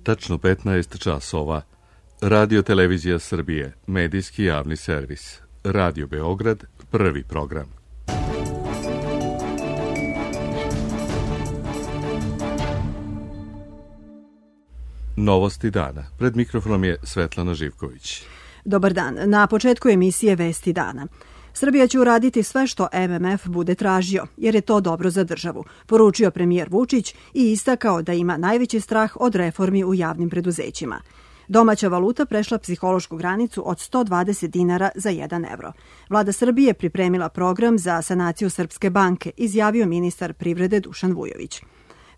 tačno 15 časova. Radio Televizija Srbije, medijski javni servis. Radio Beograd, prvi program. Novosti dana. Pred mikrofonom je Svetlana Živković. Dobar dan. Na početku emisije Vesti dana. Srbija će uraditi sve što MMF bude tražio, jer je to dobro za državu, poručio premijer Vučić i istakao da ima najveći strah od reformi u javnim preduzećima. Domaća valuta prešla psihološku granicu od 120 dinara za 1 evro. Vlada Srbije pripremila program za sanaciju Srpske banke, izjavio ministar privrede Dušan Vujović.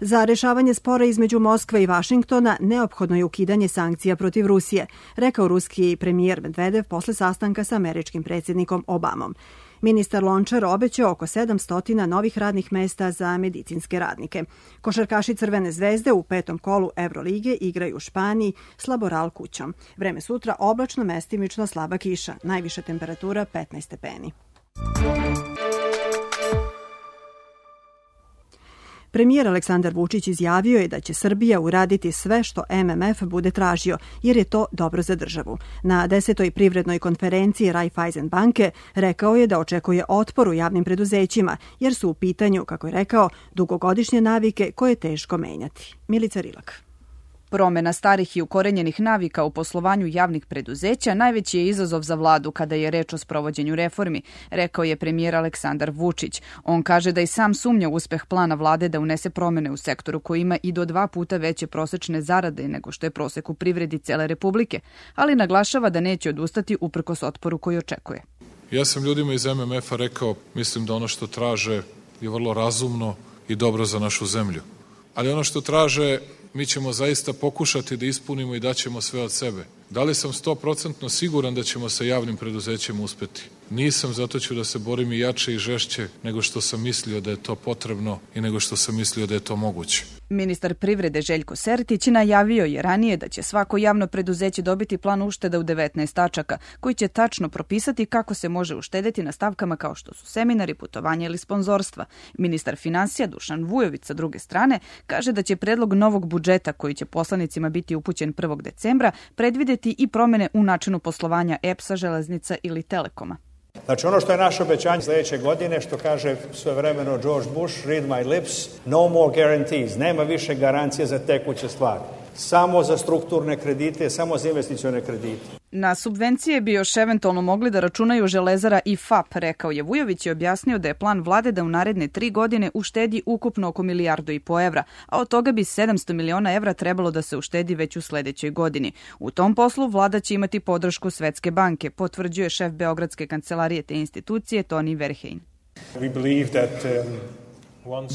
Za rešavanje spora između Moskve i Vašingtona neophodno je ukidanje sankcija protiv Rusije, rekao ruski premijer Medvedev posle sastanka sa američkim predsjednikom Obamom. Ministar Lončar obećao oko 700 novih radnih mesta za medicinske radnike. Košarkaši Crvene zvezde u 5. kolu Evrolige igraju u Španiji s Laboral kućom. Vreme sutra oblačno, mestimično slaba kiša, najviša temperatura 15 stepeni. Premijer Aleksandar Vučić izjavio je da će Srbija uraditi sve što MMF bude tražio, jer je to dobro za državu. Na 10. privrednoj konferenciji Raiffeisen banke rekao je da očekuje otpor u javnim preduzećima, jer su u pitanju, kako je rekao, dugogodišnje navike koje je teško menjati. Milica Rilak. Promena starih i ukorenjenih navika u poslovanju javnih preduzeća najveći je izazov za vladu kada je reč o sprovođenju reformi, rekao je premijer Aleksandar Vučić. On kaže da i sam sumnja uspeh plana vlade da unese promene u sektoru koji ima i do 2 puta veće prosečne zarade nego što je prosek u privredi cele Republike, ali naglašava da neće odustati uprkos otporu koji očekuje. Ja sam ljudima iz MMF-a rekao, mislim da ono što traže je vrlo razumno i dobro za našu zemlju. Ali ono što traže mi ćemo zaista pokušati da ispunimo i daćemo sve od sebe. Da li sam 100% siguran da ćemo sa javnim preduzećima uspeti? Nisam, zato ću da se borim i jače i žešće nego što sam mislio da je to potrebno i nego što sam mislio da je to moguće. Ministar privrede Željko Sertić najavio je ranije da će svako javno preduzeće dobiti plan ušteda u 19 tačaka, koji će tačno propisati kako se može uštedeti na stavkama kao što su seminari, putovanja ili sponzorstva. Ministar finansija Dušan Vujović sa druge strane kaže da će predlog novog budžeta koji će poslanicima biti upućen 1. decembra predvideti i promene u načinu poslovanja EPS-a, Železnica ili Telekoma. Znači ono što je naše obećanje sljedeće godine, što kaže svojevremeno George Bush, read my lips, no more guarantees, nema više garancije za tekuće stvari. Samo za strukturne kredite, samo za investicione kredite. Na subvencije bi još eventualno mogli da računaju Železara i FAP, rekao je Vujović i objasnio da je plan vlade da u naredne 3 godine uštedi ukupno oko 1,5 milijardu evra, a od toga bi 700 miliona evra trebalo da se uštedi već u sledećoj godini. U tom poslu vlada će imati podršku Svetske banke, potvrđuje šef Beogradske kancelarije te institucije Toni Verheyen.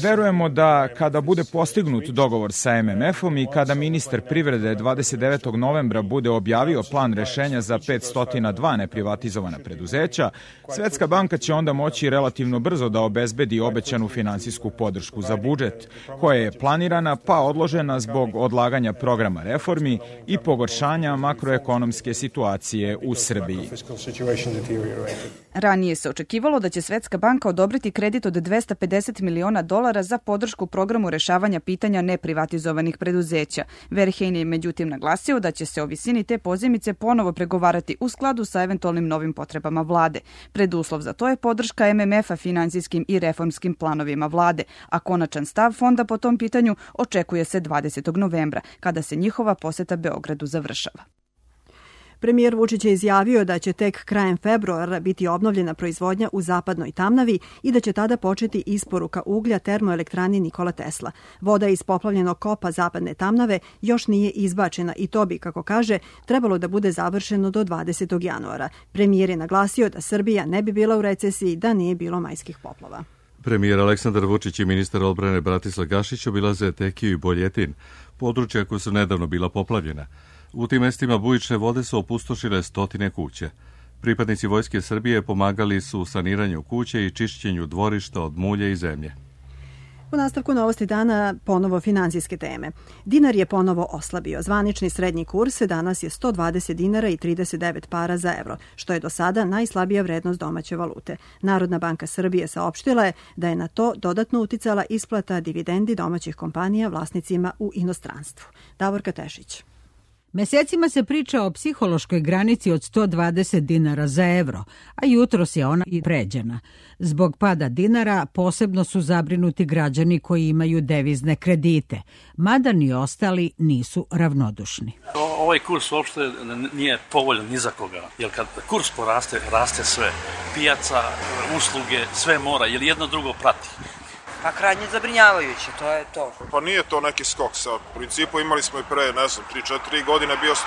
Verujemo da kada bude postignut dogovor sa MMF-om i kada ministar privrede 29. novembra bude objavio plan rešenja za 502 neprivatizovana preduzeća, Svetska banka će onda moći relativno brzo da obezbedi obećanu finansijsku podršku za budžet, koja je planirana pa odložena zbog odlaganja programa reformi i pogoršanja makroekonomske situacije u Srbiji. Ranije se očekivalo da će Svetska banka odobriti kredit od $250 miliona za podršku programu rešavanja pitanja neprivatizovanih preduzeća. Verheyen je međutim naglasio da će se o visini te pozajmice ponovo pregovarati u skladu sa eventualnim novim potrebama vlade. Preduslov za to je podrška MMF-a finansijskim i reformskim planovima vlade, a konačan stav fonda po tom pitanju očekuje se 20. novembra, kada se njihova poseta Beogradu završava. Premijer Vučić je izjavio da će tek krajem februara biti obnovljena proizvodnja u Zapadnoj Tamnavi i da će tada početi isporuka uglja termoelektrani Nikola Tesla. Voda iz poplavljenog kopa Zapadne Tamnave još nije izbačena i to bi, kako kaže, trebalo da bude završeno do 20. januara. Premijer je naglasio da Srbija ne bi bila u recesiji da nije bilo majskih poplava. Premijer Aleksandar Vučić i ministar odbrane Bratislav Gašić obilaze Tekiju i Boljetin, područja koja su nedavno bila poplavljena. U tim mestima bujične vode su opustošile stotine kuća. Pripadnici Vojske Srbije pomagali su u saniranju kuće i čišćenju dvorišta od mulja i zemlje. U nastavku novosti dana ponovo finansijske teme. Dinar je ponovo oslabio. Zvanični srednji kurs danas je 120 dinara i 39 para za evro, što je do sada najslabija vrednost domaće valute. Narodna banka Srbije saopštila je da je na to dodatno uticala isplata dividendi domaćih kompanija vlasnicima u inostranstvu. Davorka Tešić. Mesecima se priča o psihološkoj granici od 120 dinara za evro, a jutros je ona i pređena. Zbog pada dinara posebno su zabrinuti građani koji imaju devizne kredite, mada ni ostali nisu ravnodušni. Ovaj kurs uopšte nije povoljan ni za koga, jer kad kurs poraste, raste sve. Pijaca, usluge, sve mora, jer jedno drugo prati. Pa krajnje zabrinjavajuće, to je to. Pa nije to neki skok sad. U principu imali smo i pre, 3-4 godine bio 110,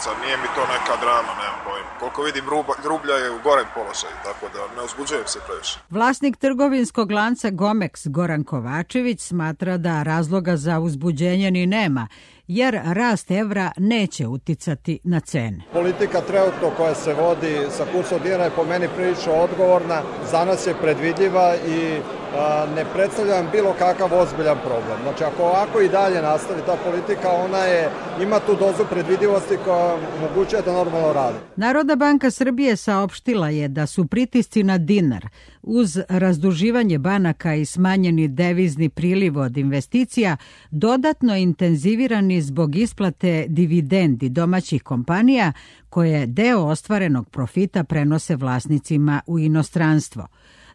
sad nije mi to neka drama, nemam pojma. Koliko vidim, rublja je u gorem položaju, tako da ne uzbuđujem se previše. Vlasnik trgovinskog lanca Gomex Goran Kovačević smatra da razloga za uzbuđenje ni nema, jer rast evra neće uticati na cene. Politika trenutno koja se vodi sa kursom dinara je po meni prilično odgovorna, za nas je predvidljiva i ne predstavljam bilo kakav ozbiljan problem. Znači, ako ovako i dalje nastavi ta politika, ima tu dozu predvidivosti koja omogućuje da normalno radi. Narodna banka Srbije saopštila je da su pritisci na dinar uz razduživanje banaka i smanjeni devizni priliv od investicija dodatno intenzivirani zbog isplate dividendi domaćih kompanija koje deo ostvarenog profita prenose vlasnicima u inostranstvo.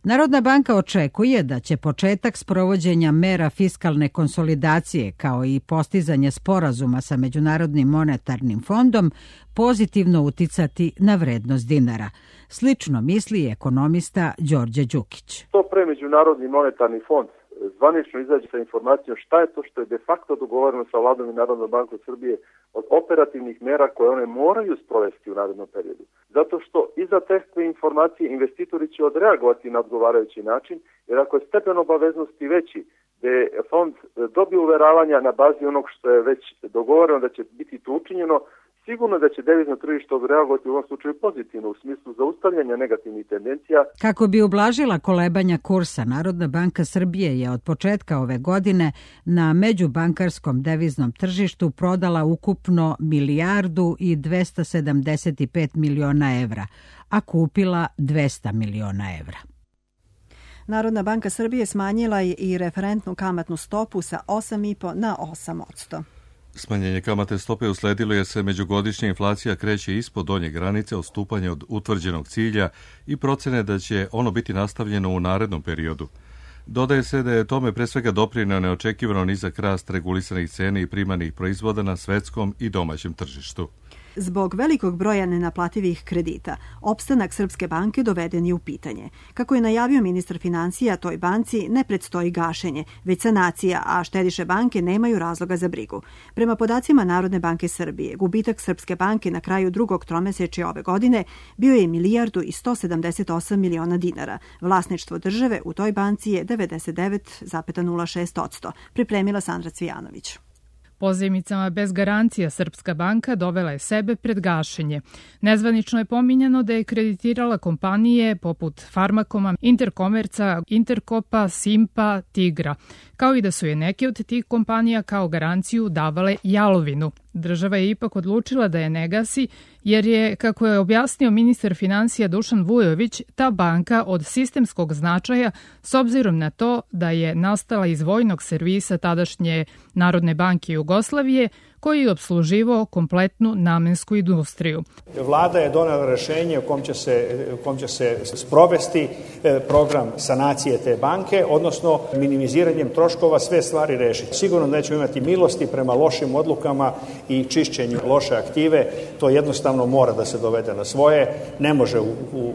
Narodna banka očekuje da će početak sprovođenja mera fiskalne konsolidacije kao i postizanje sporazuma sa Međunarodnim monetarnim fondom pozitivno uticati na vrednost dinara. Slično misli ekonomista Đorđe Đukić. To pre Međunarodni monetarni fond zvanično izađe sa informacijom šta je to što je de facto dogovoreno sa Vladom i Narodnom bankom Srbije od operativnih mera koje one moraju sprovesti u narednom periodu. Zato što iza te informacije investitori će odreagovati na odgovarajući način, jer ako je stepen obaveznosti veći, da je fond dobio uveravanja na bazi onog što je već dogovoreno da će biti to učinjeno, sigurno da će devizno tržište odreagovati u ovom slučaju pozitivno u smislu zaustavljanja negativnih tendencija. Kako bi ublažila kolebanja kursa, Narodna banka Srbije je od početka ove godine na međubankarskom deviznom tržištu prodala ukupno 1.275 miliona evra, a kupila 200 miliona evra. Narodna banka Srbije smanjila je i referentnu kamatnu stopu sa 8,5 na 8%. Smanjenje kamatne stope usledilo jer se međugodišnja inflacija kreće ispod donje granice odstupanja od utvrđenog cilja i procene da će ono biti nastavljeno u narednom periodu. Dodaje se da je tome pre svega doprineo neočekivano nizak rast regulisanih cena i primarnih proizvoda na svetskom i domaćem tržištu. Zbog velikog broja nenaplativih kredita, opstanak Srpske banke doveden je u pitanje. Kako je najavio ministar financija, toj banci ne predstoji gašenje, već sanacija, a štediše banke nemaju razloga za brigu. Prema podacima Narodne banke Srbije, gubitak Srpske banke na kraju drugog tromesečja ove godine bio je 1.178 miliona dinara. Vlasništvo države u toj banci je 99,06%, pripremila Sandra Cvijanović. Pozajmicama bez garancija Srpska banka dovela je sebe pred gašenje. Nezvanično je pominjano da je kreditirala kompanije poput Farmakoma, Interkomerca, Interkopa, Simpa, Tigra, kao i da su je neke od tih kompanija kao garanciju davale jalovinu. Država je ipak odlučila da je ne gasi, jer je, kako je objasnio ministar financija Dušan Vujović, ta banka od sistemskog značaja s obzirom na to da je nastala iz vojnog servisa tadašnje Narodne banke Jugoslavije, koji je obsluživao kompletnu namensku industriju. Vlada je donela rešenje u kom će se sprovesti program sanacije te banke, odnosno minimiziranjem troškova sve stvari rešiti. Sigurno nećemo imati milosti prema lošim odlukama i čišćenju loše aktive. To jednostavno mora da se dovede na svoje. Ne može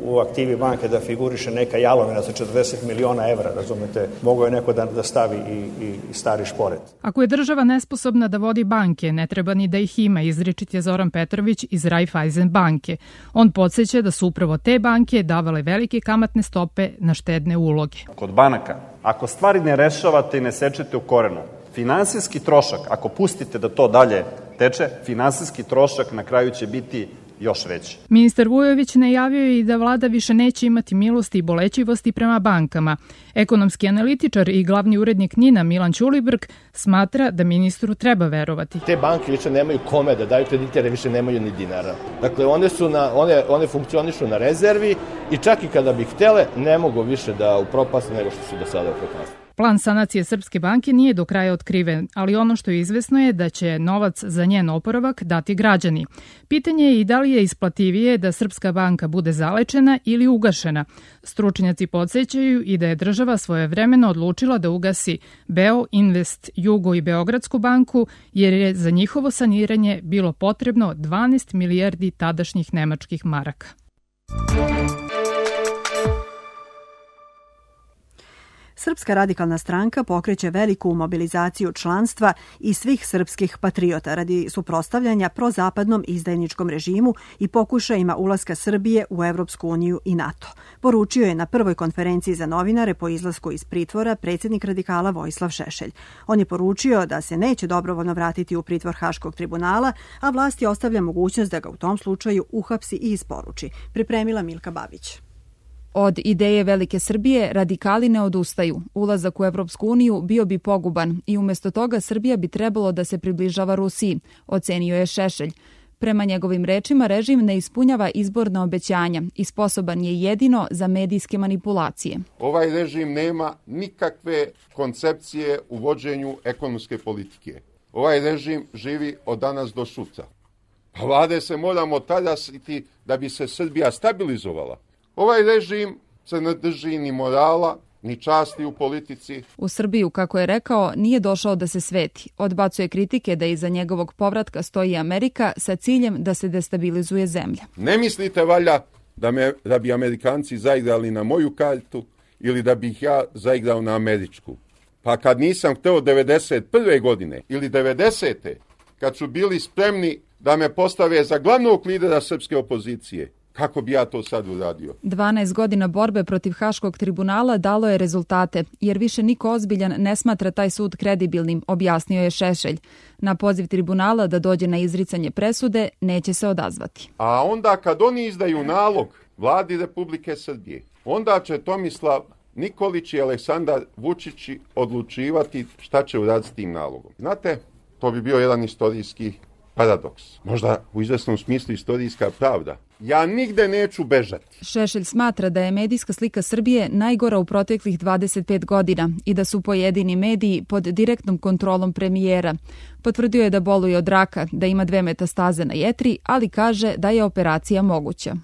u aktivi banke da figuriše neka jalovina za 40 miliona evra, razumete. Mogo je neko da stavi i stari šporet. Ako je država nesposobna da vodi banke, ne treba ni da ih ima, izričit je Zoran Petrović iz Raiffeisen banke. On podsjeća da su upravo te banke davale velike kamatne stope na štedne uloge. Kod banaka, ako stvari ne rešavate i ne sečete u korenu, finansijski trošak, ako pustite da to dalje teče, finansijski trošak na kraju će biti još veće. Ministar Vujović najavio je i da vlada više neće imati milosti i bolećivosti prema bankama. Ekonomski analitičar i glavni urednik NIN-a Milan Ćulibrk smatra da ministru treba verovati. Te banke više nemaju kome da daju kredite, jer više nemaju ni dinara. Dakle, one funkcionišu na rezervi i čak i kada bi htele, ne mogu više da upropaste nego što su do sada upropastili. Plan sanacije Srpske banke nije do kraja otkriven, ali ono što je izvesno je da će novac za njen oporavak dati građani. Pitanje je i da li je isplativije da Srpska banka bude zalečena ili ugašena. Stručnjaci podsjećaju i da je država svojevremeno odlučila da ugasi Beo, Invest, Jugo i Beogradsku banku, jer je za njihovo saniranje bilo potrebno 12 milijardi tadašnjih nemačkih maraka. Srpska radikalna stranka pokreće veliku mobilizaciju članstva i svih srpskih patriota radi suprotstavljanja prozapadnom izdajničkom režimu i pokušajima ulaska Srbije u Evropsku uniju i NATO. Poručio je na prvoj konferenciji za novinare po izlasku iz pritvora predsjednik radikala Vojislav Šešelj. On je poručio da se neće dobrovoljno vratiti u pritvor Haškog tribunala, a vlasti ostavlja mogućnost da ga u tom slučaju uhapsi i isporuči. Pripremila Milka Babić. Od ideje Velike Srbije radikali ne odustaju. Ulazak u Evropsku uniju bio bi poguban i umjesto toga Srbija bi trebalo da se približava Rusiji, ocenio je Šešelj. Prema njegovim rečima, režim ne ispunjava izborna obećanja i sposoban je jedino za medijske manipulacije. Ovaj režim nema nikakve koncepcije u vođenju ekonomske politike. Ovaj režim živi od danas do sutra. Pa vlade se moramo talasiti da bi se Srbija stabilizovala. Ovaj režim se ne drži ni morala, ni časti u politici. U Srbiju, kako je rekao, nije došao da se sveti. Odbacuje kritike da iza njegovog povratka stoji Amerika sa ciljem da se destabilizuje zemlja. Ne mislite valjda da bi Amerikanci zaigrali na moju kartu ili da bih ja zaigrao na američku? Pa kad nisam hteo 91. godine ili 90. kad su bili spremni da me postave za glavnog lidera srpske opozicije, kako bi ja to sad uradio? 12 godina borbe protiv Haškog tribunala dalo je rezultate, jer više niko ozbiljan ne smatra taj sud kredibilnim, objasnio je Šešelj. Na poziv tribunala da dođe na izricanje presude neće se odazvati. A onda kad oni izdaju nalog vladi Republike Srbije, onda će Tomislav Nikolić i Aleksandar Vučić odlučivati šta će uraditi s tim nalogom. Znate, to bi bio jedan istorijski paradoks. Možda u izvesnom smislu istorijska pravda. Ja nigde neću bežati. Šešelj smatra da je medijska slika Srbije najgora u proteklih 25 godina i da su pojedini mediji pod direktnom kontrolom premijera. Potvrdio je da boluje od raka, da ima 2 metastaze na jetri, ali kaže da je operacija moguća.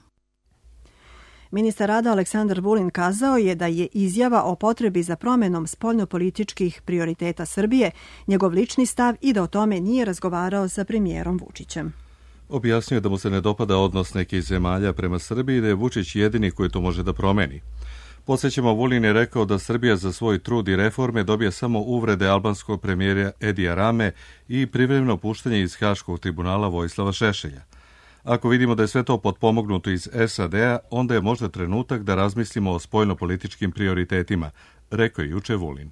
Ministar rada Aleksandar Vulin kazao je da je izjava o potrebi za promjenom spoljnopolitičkih prioriteta Srbije njegov lični stav i da o tome nije razgovarao sa premijerom Vučićem. Objasnio je da mu se ne dopada odnos nekih zemalja prema Srbiji i da je Vučić jedini koji to može da promeni. Podsjećamo, Vulin je rekao da Srbija za svoj trud i reforme dobija samo uvrede albanskog premijera Edija Rame i privremeno puštanje iz Haškog tribunala Vojislava Šešelja. Ako vidimo da je sve to potpomognuto iz SAD-a, onda je možda trenutak da razmislimo o spoljnopolitičkim prioritetima, rekao je juče Vulin.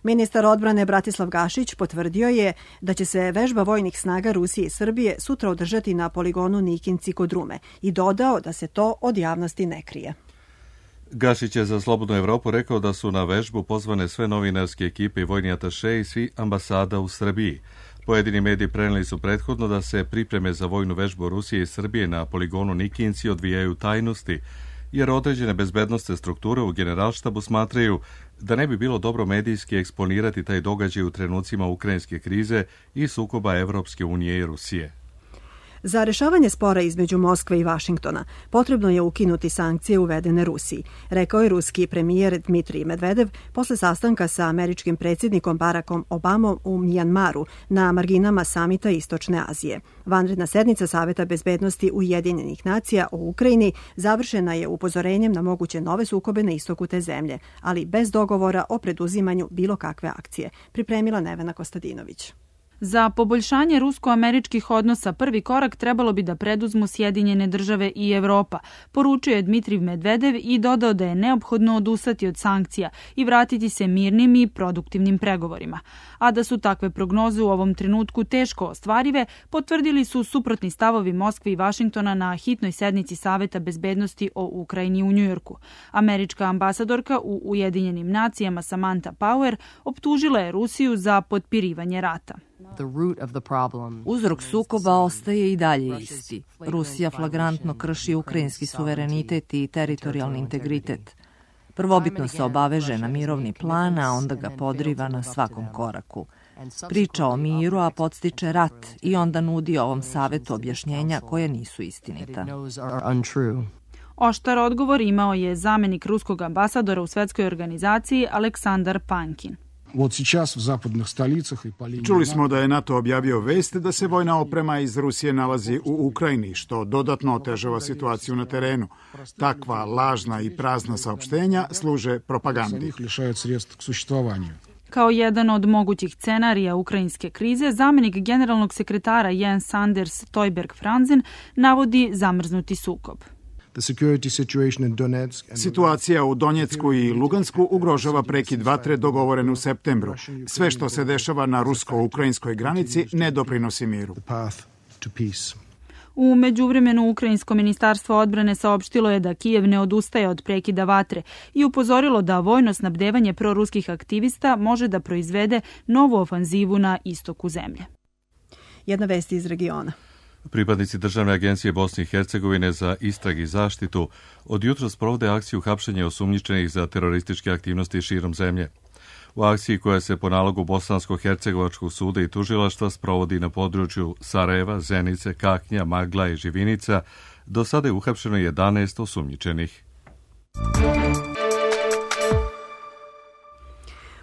Ministar odbrane Bratislav Gašić potvrdio je da će se vežba vojnih snaga Rusije i Srbije sutra održati na poligonu Nikinci kod Rume i dodao da se to od javnosti ne krije. Gašić je za Slobodnu Evropu rekao da su na vežbu pozvane sve novinarske ekipe i vojni ataše i svi ambasada u Srbiji. Pojedini mediji preneli su prethodno da se pripreme za vojnu vežbu Rusije i Srbije na poligonu Nikinci odvijaju tajnosti, jer određene bezbednostne strukture u generalštabu smatraju da ne bi bilo dobro medijski eksponirati taj događaj u trenucima ukrajinske krize i sukoba Evropske unije i Rusije. Za rešavanje spora između Moskve i Vašingtona potrebno je ukinuti sankcije uvedene Rusiji, rekao je ruski premijer Dmitrij Medvedev posle sastanka sa američkim predsjednikom Barackom Obamom u Mjanmaru na marginama samita Istočne Azije. Vanredna sednica Saveta bezbednosti Ujedinjenih nacija o Ukrajini završena je upozorenjem na moguće nove sukobe na istoku te zemlje, ali bez dogovora o preduzimanju bilo kakve akcije, pripremila Nevena Kostadinović. Za poboljšanje rusko-američkih odnosa prvi korak trebalo bi da preduzmu Sjedinjene države i Evropa, poručio je Dmitrij Medvedev i dodao da je neophodno odustati od sankcija i vratiti se mirnim i produktivnim pregovorima. A da su takve prognoze u ovom trenutku teško ostvarive, potvrdili su suprotni stavovi Moskve i Vašingtona na hitnoj sednici Saveta bezbednosti o Ukrajini u Njujorku. Američka ambasadorka u Ujedinjenim nacijama Samantha Power optužila je Rusiju za potpirivanje rata. Uzrok sukoba ostaje i dalje isti. Rusija flagrantno krši ukrajinski suverenitet i teritorijalni integritet. Prvobitno se obaveže na mirovni plan, a onda ga podriva na svakom koraku. Priča o miru, a podstiče rat i onda nudi ovom savetu objašnjenja koje nisu istinita. Oštar odgovor imao je zamenik ruskog ambasadora u svetskoj organizaciji Aleksandar Pankin. Čuli smo da je NATO objavio vest da se vojna oprema iz Rusije nalazi u Ukrajini, što dodatno otežava situaciju na terenu. Takva lažna i prazna saopštenja služe propagandi. Kao jedan od mogućih scenarija ukrajinske krize, zamenik generalnog sekretara Jens Anders Stoltenberg-Franzen navodi zamrznuti sukob. Situacija u Donjecku i Lugansku ugrožava prekid vatre dogovoren u septembru. Sve što se dešava na rusko-ukrajinskoj granici ne doprinosi miru. U međuvremenu Ukrajinsko ministarstvo odbrane saopštilo je da Kijev ne odustaje od prekida vatre i upozorilo da vojno snabdevanje proruskih aktivista može da proizvede novu ofanzivu na istoku zemlje. Jedna vest iz regiona. Pripadnici Državne agencije Bosne i Hercegovine za istrag i zaštitu od jutros provode akciju hapšenja osumnjičenih za terorističke aktivnosti širom zemlje. U akciji koja se po nalogu Bosansko-Hercegovačkog suda i tužilaštva sprovodi na području Sarajeva, Zenice, Kaknja, Magla i Živinica, do sada je uhapšeno 11 osumnjičenih.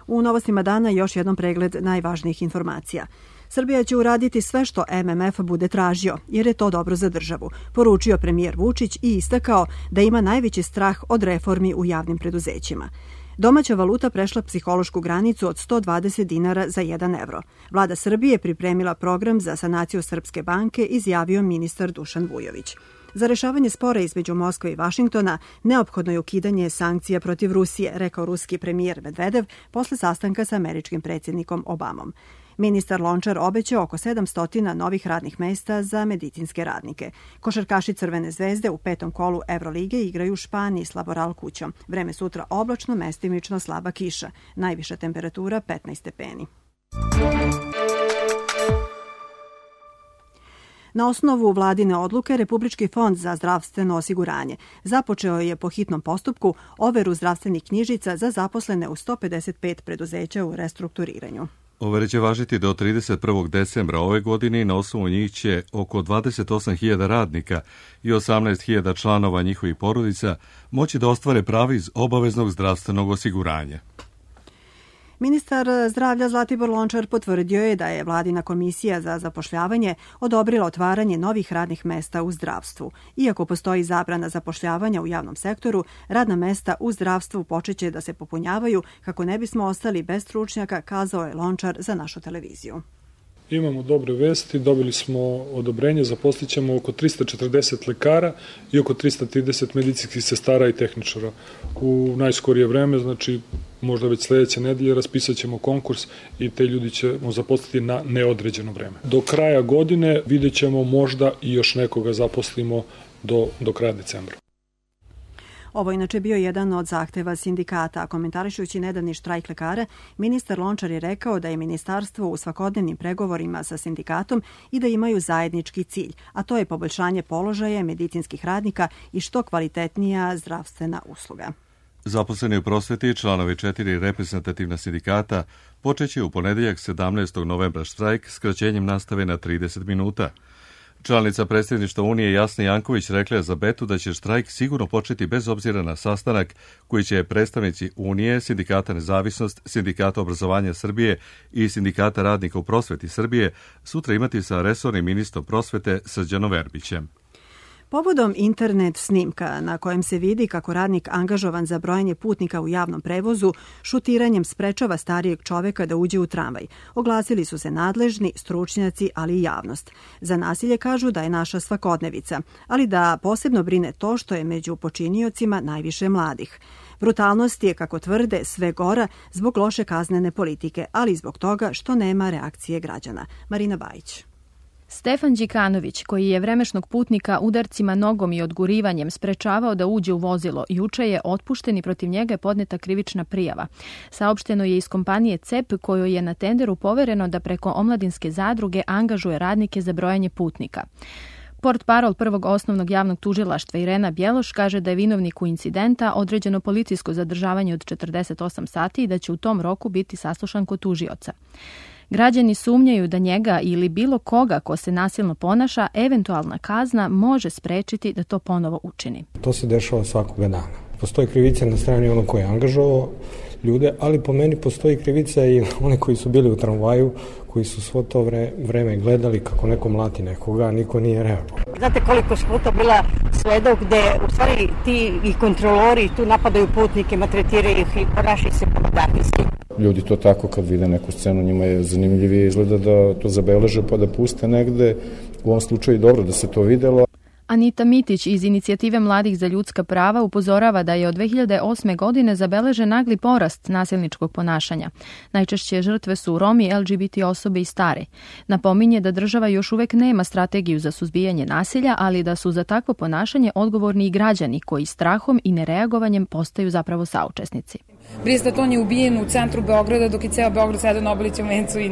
U novostima dana još jednom pregled najvažnijih informacija. Srbija će uraditi sve što MMF bude tražio, jer je to dobro za državu, poručio premijer Vučić i istakao da ima najveći strah od reformi u javnim preduzećima. Domaća valuta prešla psihološku granicu od 120 dinara za 1 evro. Vlada Srbije pripremila program za sanaciju Srpske banke, izjavio ministar Dušan Vujović. Za rešavanje spora između Moskve i Vašingtona neophodno je ukidanje sankcija protiv Rusije, rekao ruski premijer Medvedev posle sastanka sa američkim predsjednikom Obamom. Ministar Lončar obećao oko 700 novih radnih mesta za medicinske radnike. Košarkaši Crvene zvezde u 5. kolu Evrolige igraju u Španiji s Laboral kućom. Vreme sutra oblačno, mestimično slaba kiša. Najviša temperatura 15 stepeni. Na osnovu vladine odluke, Republički fond za zdravstveno osiguranje započeo je po hitnom postupku overu zdravstvenih knjižica za zaposlene u 155 preduzeća u restrukturiranju. Overe će važiti do 31. decembra ove godine i na osnovu njih će oko 28.000 radnika i 18.000 članova njihovih porodica moći da ostvare pravo iz obaveznog zdravstvenog osiguranja. Ministar zdravlja Zlatibor Lončar potvrdio je da je vladina komisija za zapošljavanje odobrila otvaranje novih radnih mesta u zdravstvu. Iako postoji zabrana zapošljavanja u javnom sektoru, radna mesta u zdravstvu počeće da se popunjavaju kako ne bismo ostali bez stručnjaka, kazao je Lončar za našu televiziju. Imamo dobre vesti, dobili smo odobrenje, zaposlićemo oko 340 lekara i oko 330 medicinskih sestara i tehničara. U najskorije vreme, znači možda već sledeće nedelje, raspisat ćemo konkurs i te ljudi ćemo zaposliti na neodređeno vreme. Do kraja godine vidjet ćemo možda i još nekoga zaposlimo do kraja decembra. Ovo inače bio jedan od zahteva sindikata, a komentarišući nedavni štrajk lekara, ministar Lončar je rekao da je ministarstvo u svakodnevnim pregovorima sa sindikatom i da imaju zajednički cilj, a to je poboljšanje položaja medicinskih radnika i što kvalitetnija zdravstvena usluga. Zaposleni u prosveti, članovi 4 reprezentativna sindikata, počeće u ponedeljak 17. novembra štrajk skraćenjem nastave na 30 minuta. Članica predsjedništva Unije Jasna Janković rekla je za Betu da će štrajk sigurno početi bez obzira na sastanak koji će predstavnici Unije, Sindikata Nezavisnost, Sindikata obrazovanja Srbije i Sindikata radnika u prosveti Srbije sutra imati sa resornim ministrom prosvete Srđanom Verbićem. Povodom internet snimka na kojem se vidi kako radnik angažovan za brojanje putnika u javnom prevozu šutiranjem sprečava starijeg čoveka da uđe u tramvaj, oglasili su se nadležni, stručnjaci, ali i javnost. Za nasilje kažu da je naša svakodnevica, ali da posebno brine to što je među počiniocima najviše mladih. Brutalnost je, kako tvrde, sve gora zbog loše kaznene politike, ali i zbog toga što nema reakcije građana. Marina Bajić. Stefan Đikanović, koji je vremešnog putnika udarcima nogom i odgurivanjem sprečavao da uđe u vozilo, juče je otpušten i protiv njega je podneta krivična prijava. Saopšteno je iz kompanije CEP, kojoj je na tenderu povereno da preko omladinske zadruge angažuje radnike za brojanje putnika. Portparol prvog osnovnog javnog tužilaštva Irena Bjeloš kaže da je vinovniku incidenta određeno policijsko zadržavanje od 48 sati i da će u tom roku biti saslušan kod tužioca. Građani sumnjaju da njega ili bilo koga ko se nasilno ponaša, eventualna kazna može sprečiti da to ponovo učini. To se dešava svakoga dana. Postoji krivica na strani onog koji je angažovao ljude, ali po meni postoji krivica i one koji su bili u tramvaju, koji su svo to vreme gledali kako neko mlati nekoga, a niko nije reagovao. Znate koliko su puta bila svedok gde u stvari ti i kontrolori tu napadaju putnike, maltretiraju ih i ponašaju se pomodarnisti. Ljudi to tako kad vide neku scenu, njima je zanimljivije izgleda da to zabeleže pa da puste negde. U ovom slučaju dobro da se to videlo. Anita Mitić iz Inicijative mladih za ljudska prava upozorava da je od 2008. godine zabeležen nagli porast nasilničkog ponašanja. Najčešće žrtve su Romi, LGBT osobe i stari. Napominje da država još uvek nema strategiju za suzbijanje nasilja, ali da su za takvo ponašanje odgovorni i građani koji strahom i nereagovanjem postaju zapravo saučesnici. Bristaton je ubijen u centru Beograda dok je ceo Beograd sedao na Obilićem vencu i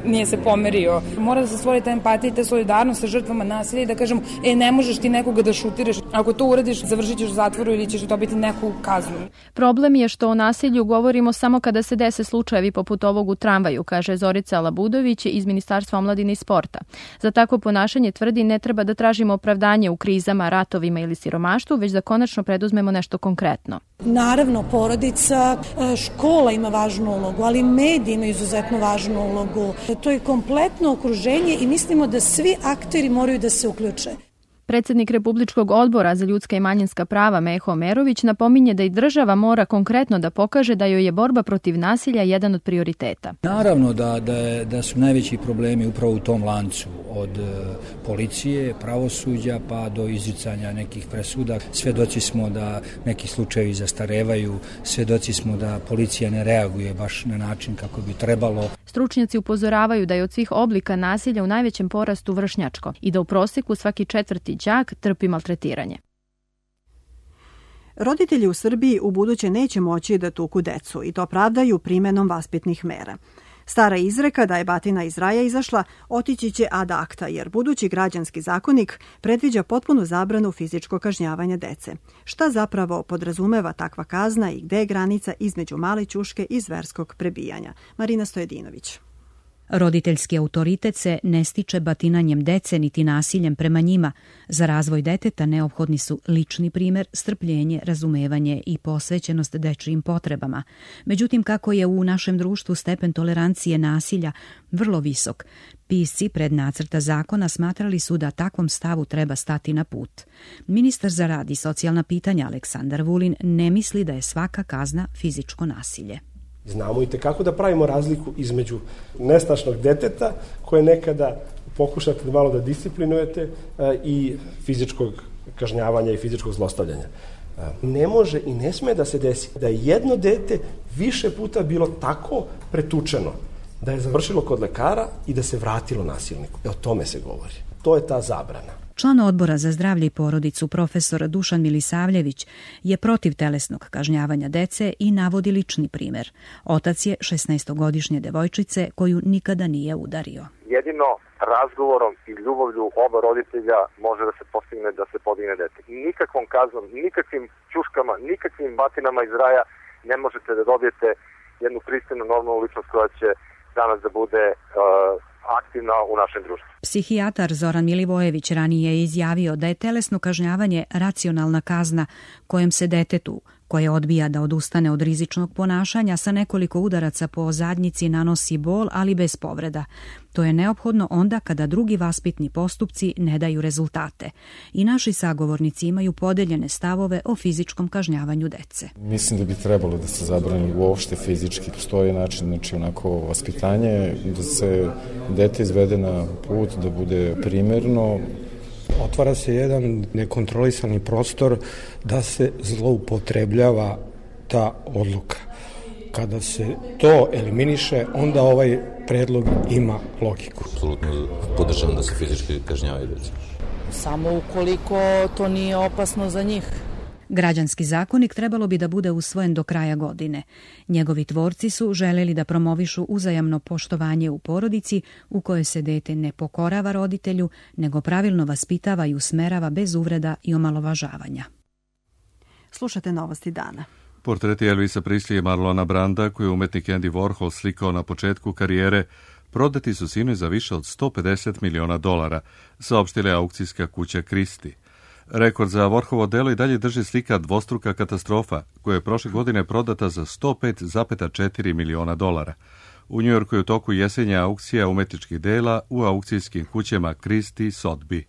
nije se pomerio. Mora da se stvori ta empatija i ta solidarnost sa žrtvama nasilja i da kažemo, ne možeš ti nekoga da šutiraš. Ako to uradiš, završit ćeš u zatvoru ili ćeš dobiti neku kaznu. Problem je što o nasilju govorimo samo kada se dese slučajevi poput ovog u tramvaju, kaže Zorica Labudović iz Ministarstva omladine i sporta. Za takvo ponašanje tvrdi ne treba da tražimo opravdanje u krizama, ratovima ili siromaštvu, već da konačno preduzmemo nešto konkretno. Naravno, porodica, škola ima važnu ulogu, ali mediji imaju izuzetno važnu ulogu. To je kompletno okruženje i mislimo da svi akteri moraju da se uključe. Predsjednik Republičkog odbora za ljudska i manjinska prava Meho Omerović napominje da i država mora konkretno da pokaže da joj je borba protiv nasilja jedan od prioriteta. Naravno da su najveći problemi upravo u tom lancu, od policije, pravosuđa pa do izricanja nekih presuda. Svedoci smo da neki slučajevi zastarevaju, svedoci smo da policija ne reaguje baš na način kako bi trebalo. Stručnjaci upozoravaju da je od svih oblika nasilja u najvećem porastu vršnjačko i da u prosjeku svaki četvrti đak trpi maltretiranje. Roditelji u Srbiji ubuduće neće moći da tuku decu i to pravdaju primenom vaspitnih mera. Stara izreka da je batina iz raja izašla otići će ad acta, jer budući građanski zakonik predviđa potpunu zabranu fizičkog kažnjavanja dece. Šta zapravo podrazumeva takva kazna i gde je granica između male ćuške i zverskog prebijanja? Marina Stojedinović. Roditeljski autoritet se ne stiče batinanjem dece niti nasiljem prema njima. Za razvoj deteta neophodni su lični primer, strpljenje, razumevanje i posvećenost dečijim potrebama. Međutim, kako je u našem društvu stepen tolerancije nasilja vrlo visok, pisci pred nacrta zakona smatrali su da takvom stavu treba stati na put. Ministar za rad i socijalna pitanja Aleksandar Vulin ne misli da je svaka kazna fizičko nasilje. Znamo i tekako da pravimo razliku između nestašnog deteta koje nekada pokušate malo da disciplinujete i fizičkog kažnjavanja i fizičkog zlostavljanja. Ne može i ne sme da se desi da je jedno dete više puta bilo tako pretučeno da je završilo kod lekara i da se vratilo nasilniku. O tome se govori. To je ta zabrana. Član odbora za zdravlje i porodicu profesor Dušan Milisavljević je protiv telesnog kažnjavanja dece i navodi lični primer. Otac je 16-godišnje devojčice koju nikada nije udario. Jedino razgovorom i ljubavlju oba roditelja može da se postigne da se podigne dete. Nikakvom kaznom, nikakvim ćuškama, nikakvim batinama iz raja ne možete da dobijete jednu pristojnu normalnu ličnost koja će danas da bude aktivna u našem društvu. Psihijatar Zoran Milivojević ranije je izjavio da je telesno kažnjavanje racionalna kazna kojom se detetu, koje odbija da odustane od rizičnog ponašanja, sa nekoliko udaraca po zadnjici nanosi bol, ali bez povreda. To je neophodno onda kada drugi vaspitni postupci ne daju rezultate. I naši sagovornici imaju podeljene stavove o fizičkom kažnjavanju dece. Mislim da bi trebalo da se zabrani uopšte fizički. Postoji način, znači onako vaspitanje, da se dete izvede na put, da bude primerno. Otvara se jedan nekontrolisani prostor da se zloupotrebljava ta odluka. Kada se to eliminiše, onda ovaj predlog ima logiku. Apsolutno podržavam da se fizički kažnjavaju deca. Samo ukoliko to nije opasno za njih. Građanski zakonik trebalo bi da bude usvojen do kraja godine. Njegovi tvorci su želeli da promovišu uzajamno poštovanje u porodici u kojoj se dete ne pokorava roditelju, nego pravilno vaspitava i usmerava bez uvreda i omalovažavanja. Slušate novosti dana. Portreti Elvisa Preslija i Marlona Branda, koje je umetnik Andy Warhol slikao na početku karijere, prodati su sinoć za više od $150 miliona, saopštila je aukcijska kuća Christie. Rekord za Warholovo delo i dalje drži slika Dvostruka katastrofa, koja je prošle godine prodata za $105,4 miliona. U Njujorku je u toku jesenja aukcija umetničkih dela u aukcijskim kućama Christie i Sotheby's.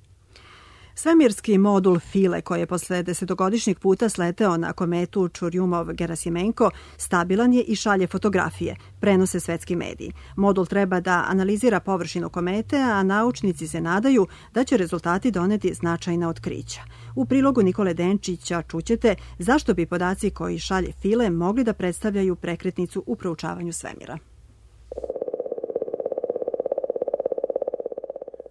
Svemirski modul File, koji je posle 10-godišnjeg puta sleteo na kometu Čurjumov-Gerasimenko, stabilan je i šalje fotografije, prenose svetski mediji. Modul treba da analizira površinu komete, a naučnici se nadaju da će rezultati doneti značajna otkrića. U prilogu Nikole Denčića čućete zašto bi podaci koji šalje File mogli da predstavljaju prekretnicu u proučavanju svemira.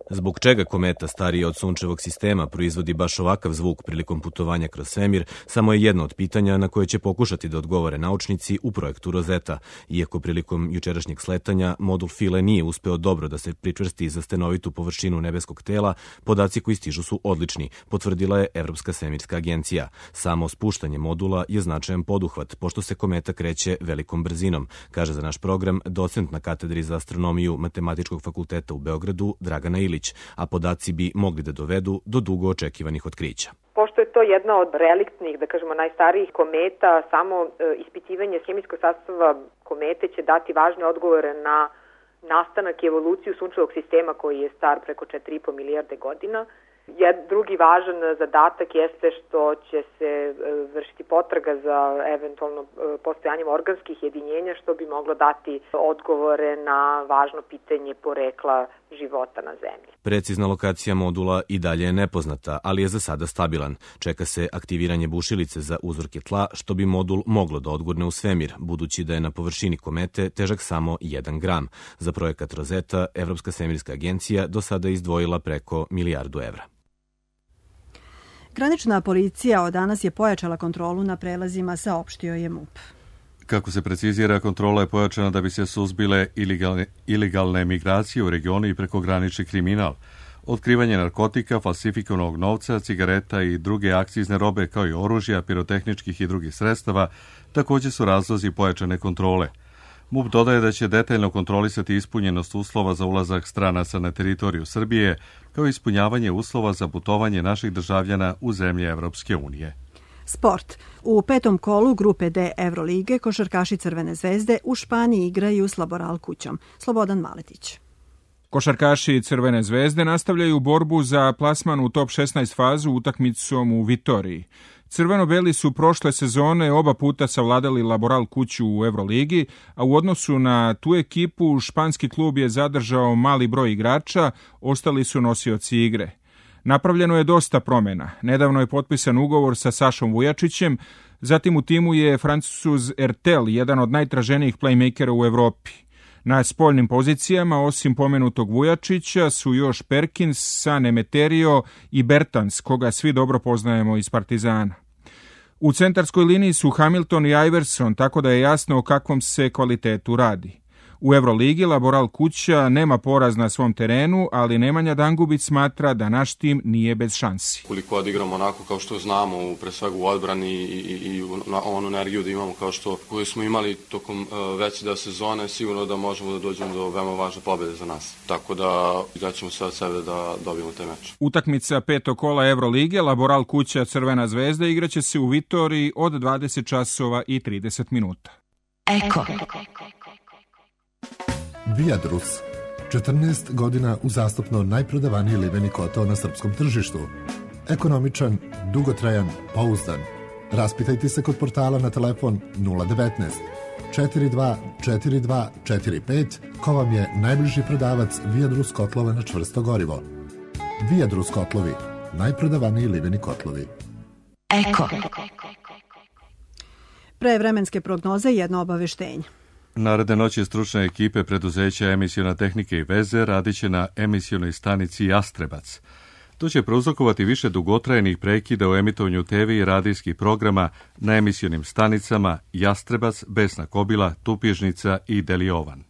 Zbog čega kometa starija od sunčevog sistema proizvodi baš ovakav zvuk prilikom putovanja kroz svemir, samo je jedno od pitanja na koje će pokušati da odgovore naučnici u projektu Rosetta. Iako prilikom jučerašnjeg sletanja modul File nije uspeo dobro da se pričvrsti za stenovitu površinu nebeskog tela, podaci koji stižu su odlični, potvrdila je Evropska svemirska agencija. Samo spuštanje modula je značajan poduhvat, pošto se kometa kreće velikom brzinom, kaže za naš program docent na katedri za astronomiju Matematičkog fakulteta u Beogradu Dragana Ilić, a podaci bi mogli da dovedu do dugo očekivanih otkrića. Pošto je to jedna od reliktnih, da kažemo, najstarijih kometa, samo ispitivanje hemijskog sastava komete će dati važne odgovore na nastanak i evoluciju sunčevog sistema koji je star preko 4,5 milijarde godina. Drugi važan zadatak jeste što će se vršiti potraga za eventualno postojanjem organskih jedinjenja, što bi moglo dati odgovore na važno pitanje porekla života na Zemlji. Precizna lokacija modula i dalje je nepoznata, ali je za sada stabilan. Čeka se aktiviranje bušilice za uzorke tla, što bi modul moglo da odgurne u svemir, budući da je na površini komete težak samo 1 gram. Za projekat Rosetta, Evropska svemirska agencija do sada izdvojila preko $1 milijardu. Granična policija od danas je pojačala kontrolu na prelazima, saopštio je MUP. Kako se precizira, kontrola je pojačana da bi se suzbile ilegalne migracije u regionu i prekogranični kriminal. Otkrivanje narkotika, falsifikovanog novca, cigareta i druge akcizne robe kao i oružja, pirotehničkih i drugih sredstava također su razlozi pojačane kontrole. MUP dodaje da će detaljno kontrolisati ispunjenost uslova za ulazak stranaca na teritoriju Srbije, kao i ispunjavanje uslova za putovanje naših državljana u zemlje Evropske unije. Sport. U 5. kolu grupe D Evrolige košarkaši Crvene zvezde u Španiji igraju s Laboral kućom. Slobodan Maletić. Košarkaši Crvene zvezde nastavljaju borbu za plasman u top 16 fazu utakmicom u Vitoriji. Crveno-beli su prošle sezone oba puta savladali Laboral kuću u Evroligi, a u odnosu na tu ekipu španski klub je zadržao mali broj igrača, ostali su nosioci igre. Napravljeno je dosta promjena. Nedavno je potpisan ugovor sa Sašom Vujačićem, zatim u timu je Francuz Ertel, jedan od najtraženijih playmakera u Evropi. Na spoljnim pozicijama, osim pomenutog Vujačića, su još Perkins, San Emeterio i Bertans, koga svi dobro poznajemo iz Partizana. U centarskoj liniji su Hamilton i Iverson, tako da je jasno o kakvom se kvalitetu radi. U Euroligi Laboral Kuća nema poraz na svom terenu, ali Nemanja Dangubić smatra da naš tim nije bez šansi. Koliko odigramo onako kao što znamo, pre svega u odbrani i onu energiju da imamo kao što koju smo imali tokom veće deo sezone, sigurno da možemo da dođemo do veoma važne pobede za nas. Tako da daćemo sve od sebe da dobijemo taj meč. Utakmica 5. kola Evrolige Laboral Kuća Crvena zvezda igraće se u Vitoriji od 20 časova i 30 minuta. Eko. Viadrus. 14 godina uzastopno najprodavaniji liveni kotao na srpskom tržištu. Ekonomičan, dugotrajan, pouzdan. Raspitajte se kod portala na telefon 019 42 42 45 ko vam je najbliži prodavac Viadrus kotlova na čvrsto gorivo. Viadrus kotlovi, najprodavaniji liveni kotlovi. Eko. Pre vremenske prognoze jedno obaveštenje. Naredne noći stručne ekipe preduzeća Emisiona tehnike i veze radiće na emisionoj stanici Jastrebac. To će prouzrokovati više dugotrajnih prekida u emitovanju TV i radijskih programa na emisionim stanicama Jastrebac, Besna Kobila, Tupježnica i Deliovan.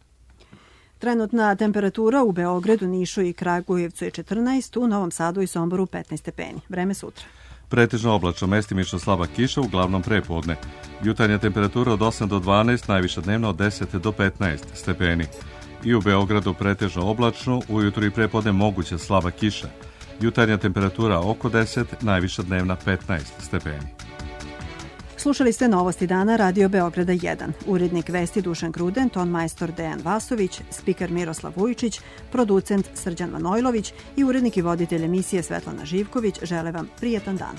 Trenutna temperatura u Beogradu, Nišu i Kragujevcu je 14, u Novom Sadu i Somboru 15 stepeni. Vreme sutra. Pretežno oblačno, mestimično slaba kiša, uglavnom prepodne. Jutarnja temperatura od 8 do 12, najviša dnevna od 10 do 15 stepeni. I u Beogradu pretežno oblačno, ujutru i prepodne moguća slaba kiša. Jutarnja temperatura oko 10, najviša dnevna 15 stepeni. Slušali ste Novosti dana Radio Beograda 1. Urednik vesti Dušan Gruden, ton majstor Dejan Vasović, spiker Miroslav Vujčić, producent Srđan Manojlović i urednik i voditelj emisije Svetlana Živković žele vam prijetan dan.